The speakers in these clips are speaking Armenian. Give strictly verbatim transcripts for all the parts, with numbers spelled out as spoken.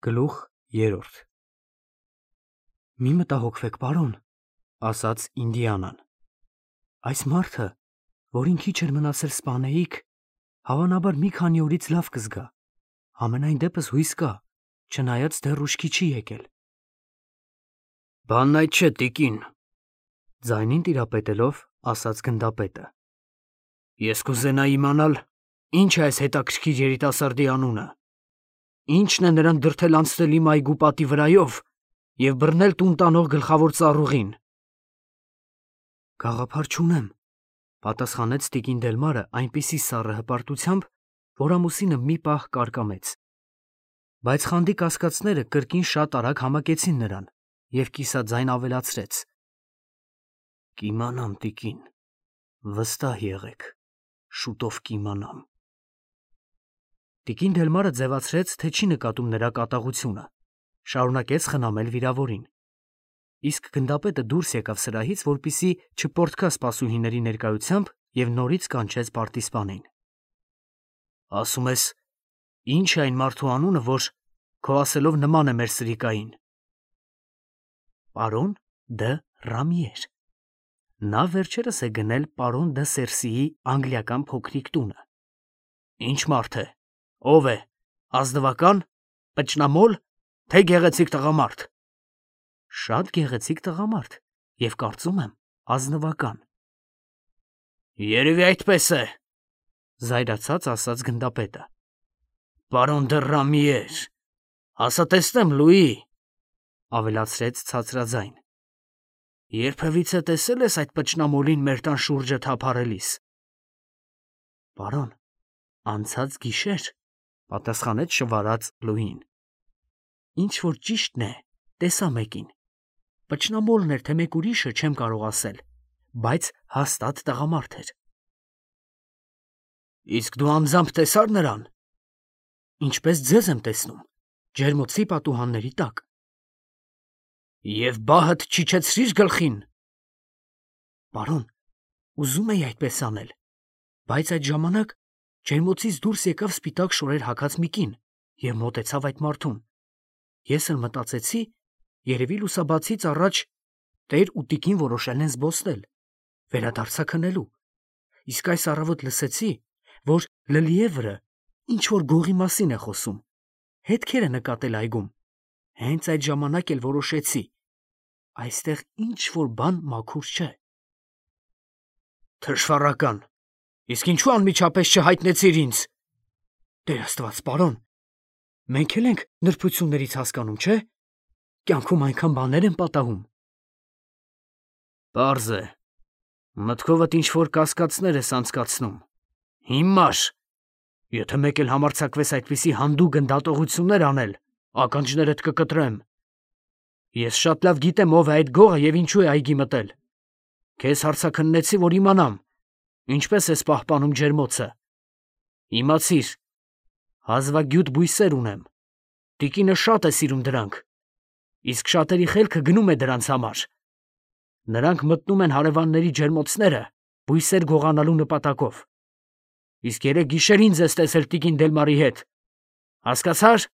Գլուխ երրորդ Մի մտահոգվեք, պարոն, ասաց Ինդիանան. այս մարդը, որին քիչ էր մնացել սպանեիք, հավանաբար մի քանի օրից լավ կզգա, համենայն դեպս հույս կա, չնայած դեռ ուշքի չի եկել։ Բանն այդ չէ, տիկին, ձայնին տիրապետելով ասաց գնդապետը։ Ես կուզենայի իմանալ, ինչ է այս հետաքրքիր երիտասարդի անունը, ինչն է նրան դրդել անցնել իմ այգու պատի վրայով և բռնել տուն տանող գլխավոր ծառուղին։ Գաղափար չունեմ, պատասխանեց տիկին Դելմարը այնպիսի սառը հպարտությամբ, որ ամուսինը մի պահ կարկամեց։ Բայց խանդի կասկածները կրկին շատ արագ համակեցին նրան, և կիսաձայն ավելացրեց. Կիմանամ, տիկին, վստահ եղեք, շուտով կիմանամ։ Տիկին Դելմարը ձևացրեց, թե չի նկատում նրա կատաղությունը, շարունակեց խնամել վիրավորին։ Իսկ գնդապետը դուրս եկավ սրահից, որպեսզի չպորտքա սպասուհիների ներկայությամբ և նորից կանչեց պարտիզպանին։ Ասում ես, ինչ է այն մարդու անունը, որ քո ասելով նման է մեր սրիկային։ Պարոն դը Ռամիեր։ Նա վերջերս է գնել պարոն դը Սերսիի անգլիական փոքրիկ տունը։ Ինչ մարդ է, ով է, ազնվակա՞ն, պճնամոլ, թե գեղեցիկ տղամարդ։ Շատ գեղեցիկ տղամարդ և կարծում եմ ազնվական։ Երևի այդպես է, զայրացած ասաց գնդապետը։ Պարոն դը Ռամիեր, ասա տեսնեմ, Լուի, ավելացրեց ցածրաձայն։ Երբևիցե տեսել ես այդ պճնամոլին մեր տան շուրջը թափառելիս։ Պարոն, անցած գիշեր, պատասխանեց շվարած Լուին։ Ինչ որ ճիշտն է, տեսա մեկին։ Պճնամոլն էր, թե մեկ ուրիշը, չեմ կարող ասել, բայց հաստատ տղամարդ էր։ Իսկ դու անձամբ տեսա՞ր նրան։ Ինչպես ձեզ եմ տեսնում, ջերմոցի պատուհանների տակ։ Եվ բահդ չիջեցրի՞ր գլխին։ Պարոն, ուզում էի այդպես անել, բայց այդ ժամանակ ջերմոցից դուրս եկավ սպիտակ շորեր հագած մի կին և մոտեցավ այդ մարդուն։ Ես էլ մտածեցի, երևի լուսաբացից առաջ տեր ու տիկին որոշել են զբոսնել, վերադարձա քնելու, իսկ այս առավոտ լսեցի, որ Լլիևրը ինչ-որ գողի մասին է խոսում, հետքեր է նկատել այգում, հենց այդ ժամանակ էլ որոշեցի, այստեղ ինչ-որ բան մաքուր չէ։ Թշվառական, իսկ ինչու անմիջապես չհայտնեցիր ինձ։ Տեր Աստված, պարոն, մենք էլ ենք նրբություններից հասկանում, չէ՞։ Կյանքում այնքան բաներ են պատահում։ Պարզ է, մտքովդ ինչ-որ կասկածներ ես անցկացնում։ Հիմար, եթե մեկ էլ համարձակվես այդպիսի հանդուգն դատողություններ անել, ականջներդ կկտրեմ։ Ես շատ լավ գիտեմ ով է այդ գողը և ինչու է այգի մտել։ Քեզ հարցաքննեցի, որ իմանամ, ինչպես ես պահպանում ջերմոցը։ Իմացիր, հազվագյուտ բույսեր ունեմ, տիկինը շատ է սիրում դրանք, իսկ շատերի խելքը գնում է դրանց համար։ Նրանք մտնում են հարևանների ջերմոցները բույսեր գողանալու նպատակով։ Իսկ երեկ գիշեր ինձ ես տեսել տիկին Դելմարի հետ, հասկացա՞ր։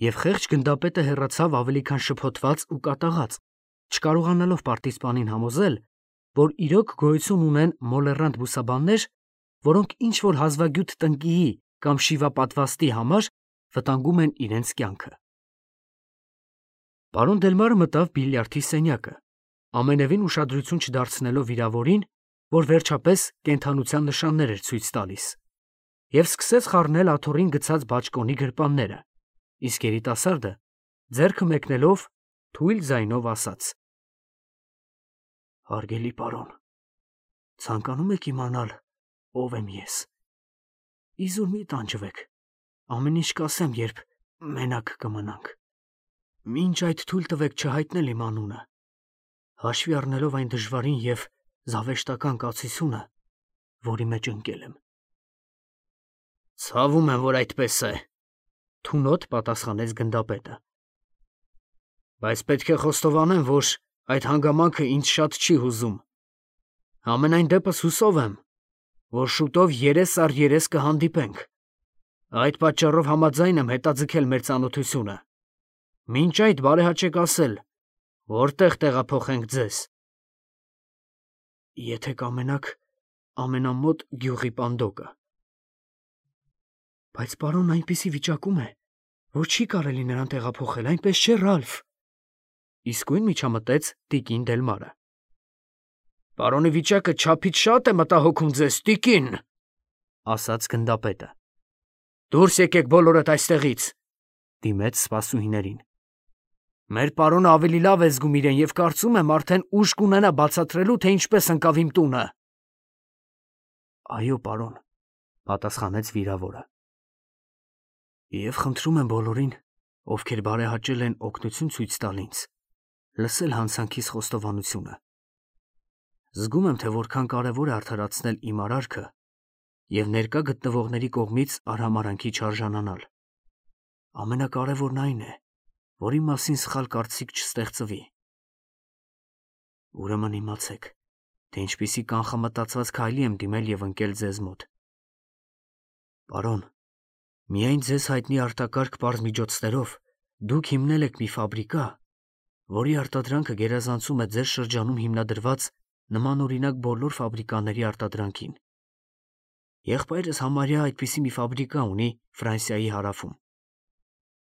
Եվ խեղճ գնդապետը հեռացավ ավելի քան շփոթված ու կատաղած, չկարողանալով պարտիզպանին համոզել, որ իրոք գոյություն ունեն մոլեռանդ բուսաբաններ, որոնք ինչ-որ հազվագյուտ տնկիի կամ շիվապատվաստի համար վտանգում են իրենց կյանքը։ Պարոն Դելմարը մտավ բիլիարդի սենյակը, ամենևին ուշադրություն չդարձնելով վիրավորին, որ վերջապես կենդանության նշաններ էր ցույց տալիս, և սկսեց խառնել աթոռին գցած բաճկոնի գրպանները, իսկ երիտասարդը, ձեռքը մեկնելով, թույլ ձայնով ասաց. Հարգելի պարոն, ցանկանում եք իմանալ, ով եմ ես։ Իզուր մի տանջվեք, ամեն ինչ կասեմ, երբ մենակ կմնանք։ Մինչ այդ թույլ տվեք չհայտնել իմ անունը, հաշվի առնելով այն դժվարին և զավեշտական կացությունը, որի մեջ ընկել եմ։ Ցավում եմ, որ այդպես է, թունոտ պատասխանեց գնդապետը։ Բայց պետք է խոստովանեմ, որ այդ հանգամանքը ինձ շատ չի հուզում։ Համենայն դեպս հուսով եմ, որ շուտով երես առ երես կհանդիպենք, Այդ պատճառով համաձայն եմ հետաձգել մեր ծանոթությունը։ Մինչ այդ բարեհաճեք ասել, որտեղ տեղափոխենք ձեզ։ Եթե կամենաք, ամենամոտ գյուղի Պանդոկը։ Բայց պարոնն այնպիսի վիճակում է, որ չի կարելի նրան տեղափոխել, այնպես չէ, Ռալֆ։ Իսկույն միջամտեց տիկին Դելմարը։ Պարոնի վիճակը չափից շատ է մտահոգում ձեզ, տիկին, ասաց գնդապետը։ Դուրս եկեք բոլորդ այստեղից, դիմեց սպասուհիներին։ Մեր պարոնը ավելի լավ է զգում իրեն և կարծում եմ արդեն ուժ կունենա բացատրելու, թե ինչպես ընկավ իմ տունը։ Այո, պարոն, պատասխանեց վիրավորը։ Եվ խնդրում եմ բոլորին, ովքեր բարեհաճել են օգնություն ցույց տալ ինձ, լսել հանցանքիս խոստովանությունը։ Զգում եմ, թե որքան կարևոր է արդարացնել իմ արարքը և ներկա գտնվողների կողմից արհամարհանքի չարժանանալ։ Ամենակարևորն այն է, որ իմ մասին սխալ կարծիք չստեղծվի։ Ուրեմն իմացեք, թե ինչպիսի կանխամտածված քայլի եմ դիմել և ընկել ձեզ մոտ։ Պարոն, միայն ձեզ հայտնի արտակարգ պարզ միջոցներով դուք հիմնել եք մի ֆաբրիկա, որի արտադրանքը գերազանցում է ձեր շրջանում հիմնադրված նմանօրինակ բոլոր ֆաբրիկաների արտադրանքին։ Եղբայրս համարյա այդպիսի մի ֆաբրիկա ունի Ֆրանսիայի հարավում,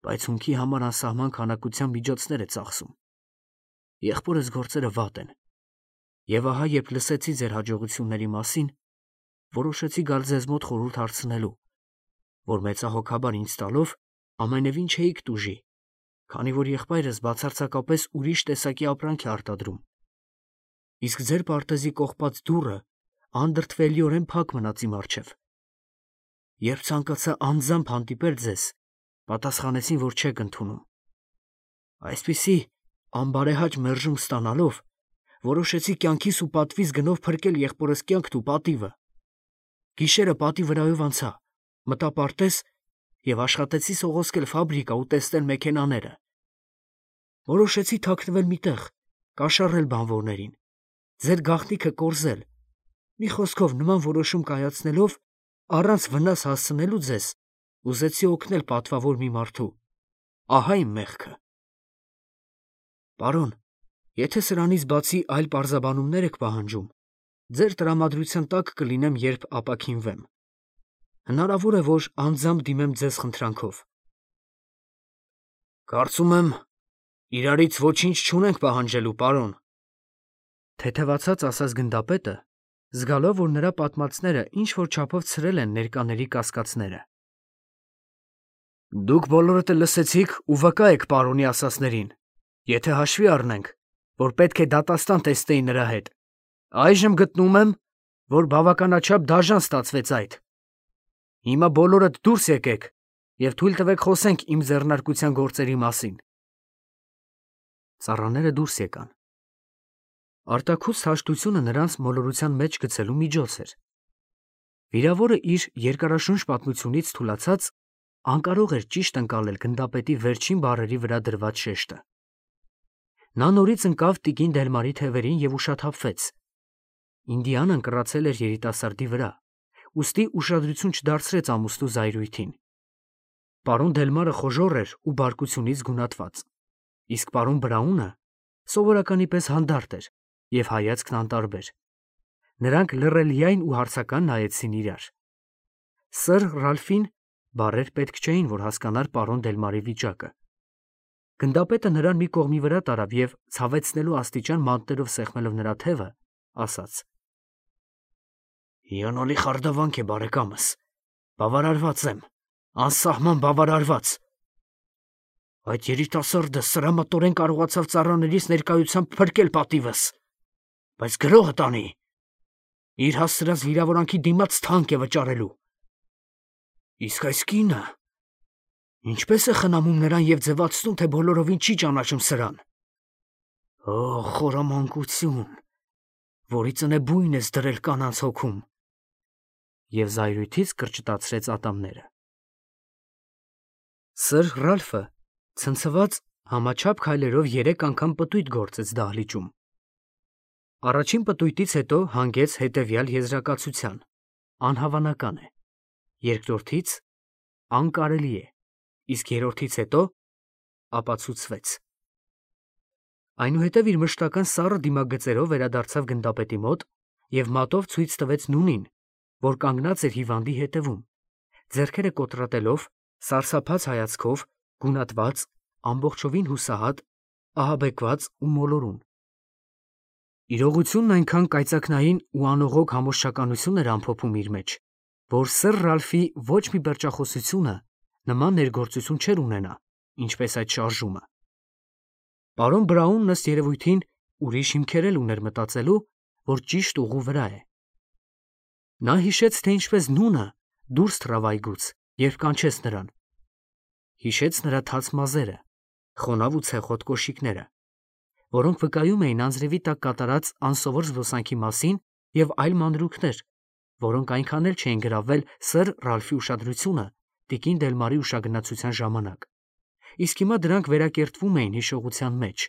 բայց հումքի համար անսահման քանակության միջոցներ է ծախսում։ Եղբորս գործերը վատ են, և ահա երբ լսեցի ձեր հաջողությունների մասին, որոշեցի գալ ձեզ մոտ խորհուրդ հարցնելու, որ մեծահոգաբար ինձ տալով ամենևին չէիք տուժի, քանի որ եղբայրս բացարձակապես ուրիշ տեսակի ապրանք է արտադրում։ Իսկ ձեր պարտեզի կողպած դուռը անդրդվելիորեն փակ մնաց իմ առջև։ Երբ ցանկացա անձամբ հանդիպել ձեզ, պատասխանեցին, որ չեք ընդունում։ Այսպիսի անբարեհաճ մերժում ստանալով, որոշեցի կյանքիս ու պատվիս գնով փրկել եղբորս կյանքն ու պատիվը։ Գիշերը պատի վրայով անցա, մտա պարտեզ և աշխատեցի սողոսկել ֆաբրիկա ու տեսնել մեքենաները։ Որոշեցի թաքնվել մի տեղ, կաշառել բանվորներին, ձեր գաղտնիքը կորզել։ Մի խոսքով, նման որոշում կայացնելով, առանց վնաս հասցնելու ձեզ, ուզեցի օգնել պատվավոր մի մարդու։ Ահա իմ մեղքը։ Պարոն, եթե սրանից բացի այլ պարզաբանումներ եք պահանջում, ձեր տրամադրության տակ կլինեմ, երբ ապաքինվեմ։ Հնարավոր է, որ անձամբ դիմեմ ձեզ խնդրանքով։ Կարծում եմ, իրարից ոչինչ չունենք պահանջելու, պարոն, թեթևացած ասաց գնդապետը, զգալով, որ նրա պատմածները ինչ-որ չափով ցրել են ներկաների կասկածները։ Դուք բոլորդ լսեցիք ու վկա եք պարոնի ասածներին, եթե հաշվի առնենք, որ պետք է դատաստան տեսնեի նրա հետ, այժմ գտնում եմ, որ բավականաչափ դաժան ստացվեց այդ։ Հիմա բոլորդ դուրս եկեք և թույլ տվեք խոսենք իմ ձեռնարկության գործերի մասին։ Ծառաները դուրս եկան։ Արտաքուստ հաշտությունը նրանց մոլորության մեջ գցելու միջոց էր։ Վիրավորը իր երկարաշունչ պատմությունից թուլացած անկարող էր ճիշտ ընկալել գնդապետի վերջին բառերի վրա դրված շեշտը։ Նա նորից ընկավ տիկին Դելմարի թևերին և ուշաթափվեց։ Ինդիանան կռացել էր երիտասարդի վրա, ուստի ուշադրություն չդարձրեց ամուսնու զայրույթին։ Պարոն Դելմարը խոժոռ էր ու բարկությունից գունատված, իսկ պարոն Բրաունը սովորականի պես հանդարտ էր և հայացքն անտարբեր։ Նրանք լռելիայն ու հարցական նայեցին իրար։ Սըր Ռալֆին բառեր պետք չէին, որ հասկանար պարոն Դելմարի վիճակը։ Գնդապետը նրան մի կողմի վրա տարավ և, ցավեցնելու աստիճան մանտերով սեղմելով նրա թևը, ասաց. Հիանալի խարդավանք է, բարեկամս, բավարարված եմ, անսահման բավարարված։ Այդ երիտասարդը սրամատորեն կարողացավ ծառաներիս ներկայությամբ փրկել պատիվս, բայց գրողը տանի, իր հասցրած վիրավորանքի դիմաց թանկ է վճարելու։ Իսկ այս կինը ինչպես է խնամում նրան և ձևացնում, թե բոլորովին չի ճանաչում սրան։ Օ, խորամանկություն, որի ծնե բույն ես դրել կանանց հոգում։ Եվ զայրույթից կրճտացրեց ատամները։ Սըր Ռալֆը ցնցված համաչափ քայլերով երեք անգամ պտույտ գործեց դահլիճում։ Առաջին պտույտից հետո հանգեց հետևյալ եզրակացության. անհավանական է։ Երկրորդից անկարելի է, իսկ երրորդից հետո ապացուցվեց։ Այնուհետև իր մշտական սառը դիմագծերով վերադարձավ գնդապետի մոտ և մատով ցույց տվեց նունին, որ կանգնած էր հիվանդի հետևում, ձեռքերը կոտրատելով, սարսափած հայացքով, գունատված, ամբողջովին հուսահատ, ահաբեկված ու մոլորուն։ Իրողությունն այնքան կայծակնային ու անողոք համոզչականություն էր ամփոփում իր մեջ, որ սըր Ռալֆի ոչ մի պերճախոսությունը նման ներգործություն չէր ունենա, ինչպես այդ շարժումը։ Պարոն Բրաունն ըստ երևույթին ուրիշ հիմքեր էլ ուներ մտածելու, որ ճիշտ ուղու վրա է։ Նա հիշեց, թե ինչպես նունը դուրս թռավ այգուց, երբ կանչեց նրան։ Հիշեց նրա թաց մազերը, խոնավ ու ցեխոտ կոշիկները, որոնք վկայում էին անձրևի տակ կատարած անսովոր զբոսանքի մասին, և այլ մանրուքներ, որոնք այնքան էլ չէին գրավել սըր Ռալֆի ուշադրությունը տիկին Դելմարի ուշագնացության ժամանակ, իսկ հիմա դրանք վերակերտվում էին հիշողության մեջ։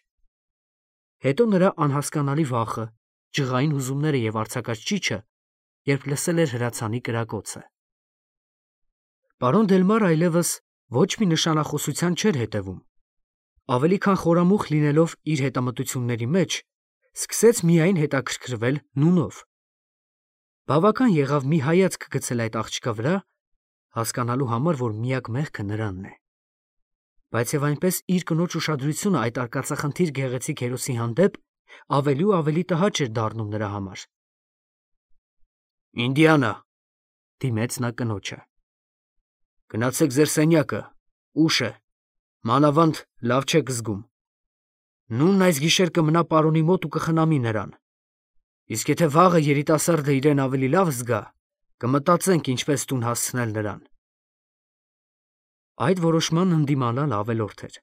Հետո նրա անհասկանալի վախը, ջղային հուզումները և արձակած ճիչը, երբ լսել էր հրացանի կրակոցը։ Պարոն Դելմարը այլևս ոչ մի նշանախոսության չէր հետևում, ավելի քան խորամուխ լինելով իր հետամտությունների մեջ, սկսեց միայն հետաքրքրվել նունով։ Բավական եղավ մի հայացք գցել այդ աղջկա վրա, հասկանալու համար, որ միակ մեղքը նրանն է, բայց և այնպես իր կնոջ ուշադրությունը այդ արկածախնդիր գեղեցիկ հերոսի հանդեպ ավելի ու ավելի տհաճ էր դառնում նրա համար։ «Ինդիանա», դիմեց նա կնոջը, «գնացեք ձեր սենյակը, ուշ է, մանավանդ լավ չեք զգում։ Նունն այս գիշեր կմնա պարոնի մոտ ու կխնամի նրան, իսկ եթե վաղը երիտասարդը իրեն ավելի լավ զգա, կմտածենք ինչպես տուն հասցնել նրան»։ Այդ որոշմանն ընդդիմանալ ավելորդ էր։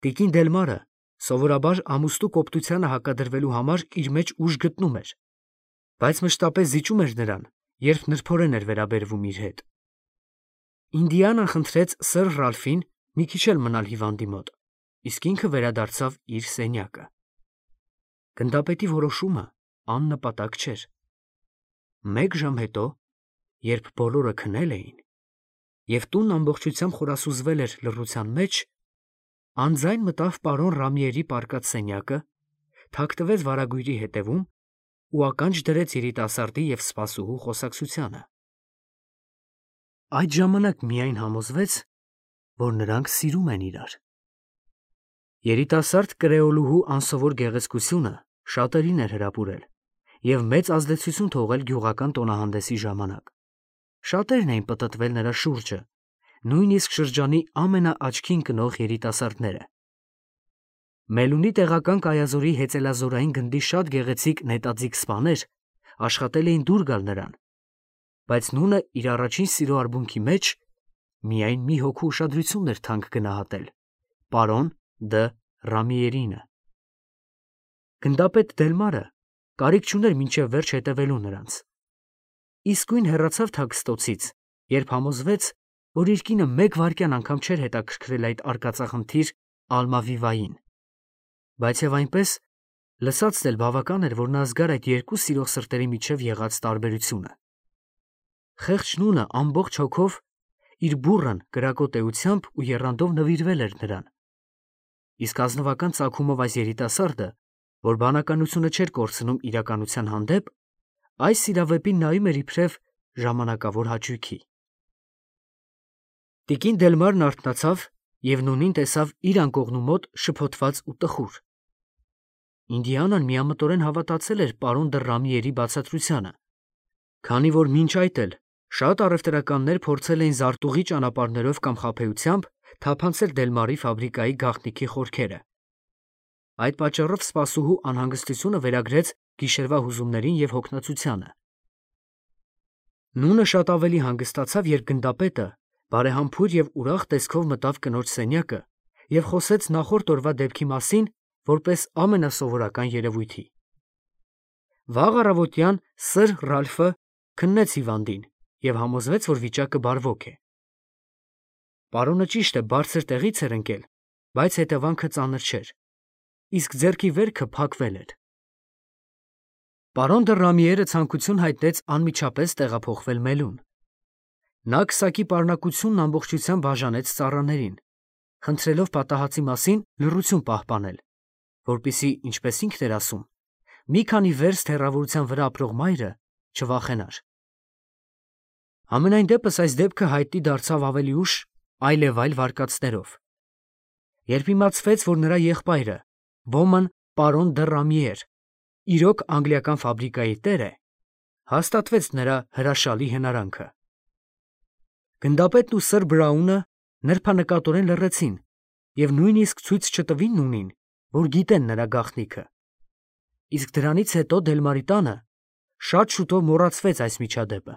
Տիկին Դելմարը սովորաբար ամուսնու կոպտությանը հակադրվելու համար իր մեջ ուժ գտնում էր, բայց մշտապես զիջում էր նրան, երբ նրբորեն էր վերաբերվում իր հետ։ Ինդիանան խնդրեց սըր Ռալֆին մի քիչ էլ մնալ հիվանդի մոտ, իսկ ինքը վերադարձավ իր սենյակը։ Գնդապետի որոշումը աննպատակ չէր։ Մեկ ժամ հետո, երբ բոլորը քնել էին, և տունն ամբողջությամբ խորասուզվել էր լռության մեջ, անձայն մտավ պարոն Ռամիերի պառկած սենյակը, թաքնվեց վարագույրի հետևում ու ականջ դրեց երիտասարդի և սպասուհու խոսակցությանը։ Այդ ժամանակ միայն համոզվեց, որ նրանք սիրում են իրար։ Երիտասարդ կրեոլուհու անսովոր գեղեցկությունը շատերին էր հրապուրել և մեծ ազդեցություն թողել գյուղական տոնահանդեսի ժամանակ։ Շատերն էին պտտվել նրա շուրջը, նույնիսկ շրջանի ամենաաչքին կնող երիտասարդները։ Մելունի տեղական կայազորի հեծելազորային գնդի շատ գեղեցիկ նետաձիգ սպաներ աշխատել էին դուր գալ նրան, բայց նունը իր առաջին սիրո արբունքի մեջ միայն մի հոգու ուշադրությունն էր թանկ գնահատել՝ պարոն Դ. Ռամիերինը։ Գնդապետ Դելմարը կարիք չուներ մինչև վերջ հետևելու նրանց։ Իսկույն հեռացավ թաքստոցից, երբ համոզվեց, որ իր կինը մեկ վայրկյան անգամ չէր հետաքրքրել այդ արկածախնդիր Ալմավիվային, բայց և այնպես լսածն էլ բավական էր, որ նա զգար այդ երկու սիրող սրտերի միջև եղած տարբերությունը։ Խեղճ նունը ամբողջ հոգով իր բուռն կրակոտ էությամբ ու եռանդով նվիրվել էր նրան, իսկ ազնվական ծագումով այս երիտասարդը, որ բանականությունը չէր կորցնում իրականության հանդեպ, այս սիրավեպին նայում էր իբրև ժամանակավոր հաճույքի։ Տիկին Դելմարն արթնացավ և նունին տեսավ իր անկողնու մոտ շփոթված ու տխուր։ Ինդիանան միամտորեն հավատացել էր պարոն Դը Ռամիերի բացատրությանը, քանի որ մինչ այդ էլ շատ առևտրականներ փորձել էին զարտուղի ճանապարհներով կամ խաբեությամբ թափանցել Դելմարի ֆաբրիկայի գաղտնիքի խորքերը։ Այդ պատճառով սպասուհու անհանգստությունը վերագրեց գիշերվա հուզումներին և հոգնածությանը։ Նունը շատ ավելի հանգստացավ, երբ գնդապետը բարեհամբույր և ուրախ տեսքով մտավ կնոջ սենյակը և խոսեց նախորդ օրվա դեպքի մասին որպես ամենասովորական երևույթի։ Վաղ առավոտյան սըր Ռալֆը քննեց հիվանդին և համոզվեց, որ վիճակը բարվոք է։ Պարոնը ճիշտ է, բարձր տեղից էր ընկել, բայց հետևանքը ծանր չէր, իսկ ձեռքի վերքը փակվել էր։ Պարոն Դը Ռամիերը ցանկություն հայտնեց անմիջապես տեղափոխվել մելուն։ Նա քսակի պարունակությունն ամբողջությամբ բաժանեց ծառաներին, խնդրելով պատահածի մասին լռություն պահպանել, որպեսզի, ինչպես ինքն էր ասում, մի քանի վերստ հեռավորության վրա ապրող մայրը չվախենար։ Համենայն դեպս այս դեպքը հայտնի դարձավ ավելի ուշ այլևայլ վարկածներով, երբ իմացվեց, որ նրա եղբայրը, ոմն պարոն դը Ռամիեր, իրոք անգլիական ֆաբրիկայի տեր է, հաստատվեց նրա հրաշալի հնարանքը։ Գնդապետն ու սըր Բրաունը նրբանկատորեն լռեցին և նույնիսկ ցույց չտվին նունին, որ գիտեն նրա գաղտնիքը։ Իսկ դրանից հետո Դելմարի տանը շատ շուտով մոռացվեց այս միջադեպը։